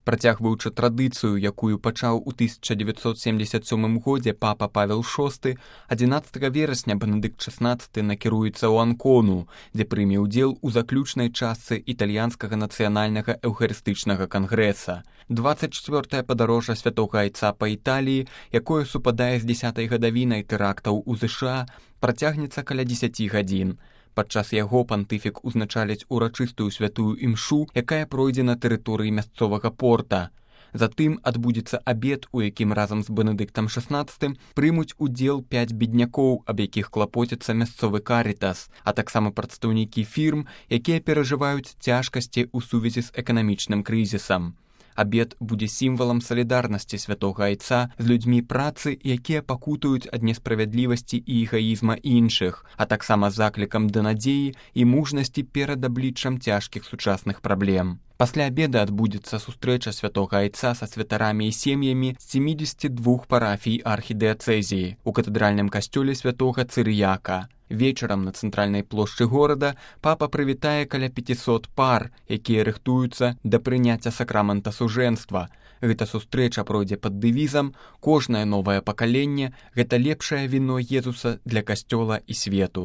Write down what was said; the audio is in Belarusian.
Працягваючы традыцыю, якую пачаў у 1977 годзе папа Павел VI, 11 верасня Бенедыкт XVI накіруецца ў Анкону, дзе прыме ўдзел у заключнай частцы італьянскага нацыянальнага эўхарыстычнага кангрэса. 24-е падарожжа святога айца па Італіі, якое супадае з 10-й гадавінай тэрактаў у ЗША, працягнецца каля 10 гадзін. Падчас яго пантыфік узначаліць урачыстую святую імшу, якая пройдзе на тэрыторыі мясцовага порта. Затым адбудзецца абед, у якім разам з Бенедыктам XVI прымуць удзел 5 беднякоў, аб якіх клапоціцца мясцовы карытас, а таксама прадстаўнікі фірм, якія перажываюць цяжкасці ў сувязі з эканамічным крызісам. Абед будзе сімвалам салідарнасці святога айца з людзьмі працы, якія пакутаюць ад несправядлівасці і эгаізма іншых, а таксама заклікам да надзеі і мужнасці перад абліччам цяжкіх сучасных праблем. Пасля абеда адбудзецца сустрэча святога айца са святарамі і сем'ямі з 72 парафій архідыяцэзіі у катэдральным касцёле святога Цырыяка. Вечарам на цэнтральнай плошчы горада папа прывітае каля 500 пар, якія рыхтуюцца да прыняцця сакрамента сужэнства. Гэта сустрэча пройдзе пад дэвізам «Кожнае новае пакаленне – гэта лепшае віно Езуса для касцёла і свету».